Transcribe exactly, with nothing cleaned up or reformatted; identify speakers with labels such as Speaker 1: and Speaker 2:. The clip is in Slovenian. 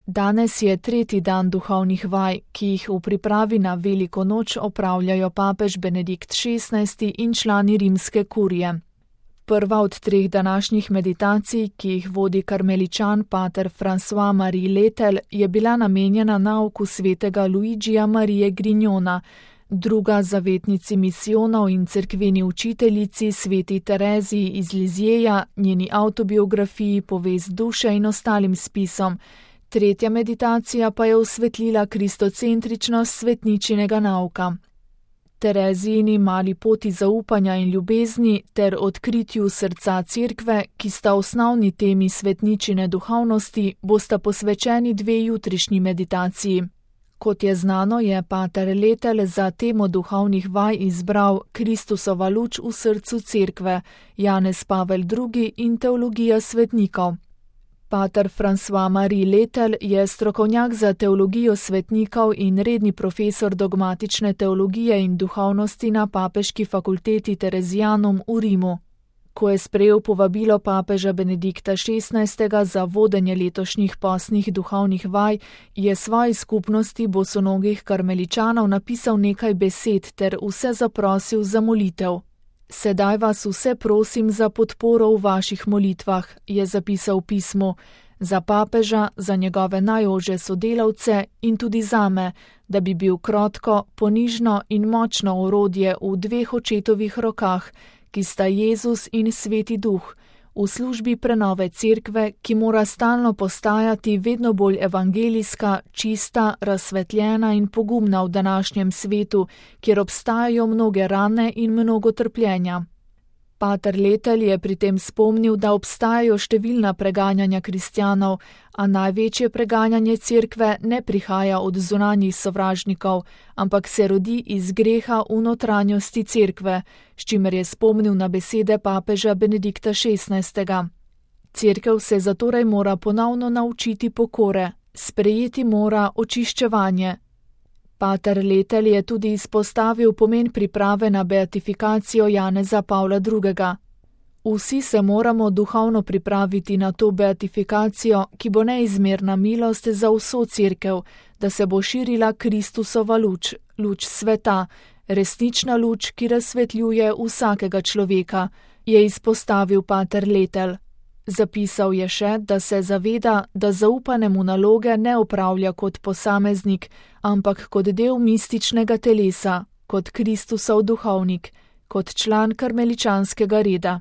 Speaker 1: Danes je tretji dan duhovnih vaj, ki jih v pripravi na veliko noč opravljajo papež Benedikt šestnajsti in člani rimske kurije. Prva od treh današnjih meditacij, ki jih vodi karmeličan pater François-Marie Letel, je bila namenjena nauku svetega Luigija Marije Grignona, druga zavetnici misijonov in cerkveni učiteljici sveti Tereziji iz Lizjeja, njeni avtobiografiji Povest duše in ostalim spisom. Tretja meditacija pa je osvetlila kristocentričnost svetničinega nauka. Terezijini mali poti zaupanja in ljubezni ter odkritju srca cerkve, ki sta osnovni temi svetničine duhovnosti, bosta posvečeni dve jutrišnji meditaciji. Kot je znano, je pater Letel za temo duhovnih vaj izbral Kristusova luč v srcu cerkve, Janez Pavel drugi in teologija svetnikov. Pater François-Marie Letel je strokovnjak za teologijo svetnikov in redni profesor dogmatične teologije in duhovnosti na Papeški fakulteti Terezijanum v Rimu. Ko je sprejel povabilo papeža Benedikta šestnajstega za vodenje letošnjih postnih duhovnih vaj, je svoji skupnosti bosonogih karmeličanov napisal nekaj besed ter vse zaprosil za molitev. Sedaj vas vse prosim za podporo v vaših molitvah, je zapisal v pismu, za papeža, za njegove najožje sodelavce in tudi zame, da bi bil krotko, ponižno in močno orodje v dveh očetovih rokah, ki sta Jezus in Sveti Duh, v službi prenove cerkve, ki mora stalno postajati vedno bolj evangelijska, čista, razsvetljena in pogumna v današnjem svetu, kjer obstajajo mnoge rane in mnogo trpljenja. Pater Letel je pri tem spomnil, da obstajajo številna preganjanja kristjanov, a največje preganjanje cerkve ne prihaja od zunanjih sovražnikov, ampak se rodi iz greha v notranjosti cerkve, s čimer je spomnil na besede papeža Benedikta šestnajstega. Cerkev se zatorej mora ponovno naučiti pokore, sprejeti mora očiščevanje. Pater Letel je tudi izpostavil pomen priprave na beatifikacijo Janeza Pavla drugega. Vsi se moramo duhovno pripraviti na to beatifikacijo, ki bo neizmerna milost za vso cerkev, da se bo širila Kristusova luč, luč sveta, resnična luč, ki razsvetljuje vsakega človeka, je izpostavil pater Letel. Zapisal je še, da se zaveda, da zaupane mu naloge ne opravlja kot posameznik, ampak kot del mističnega telesa, kot Kristusov duhovnik, kot član karmeličanskega reda.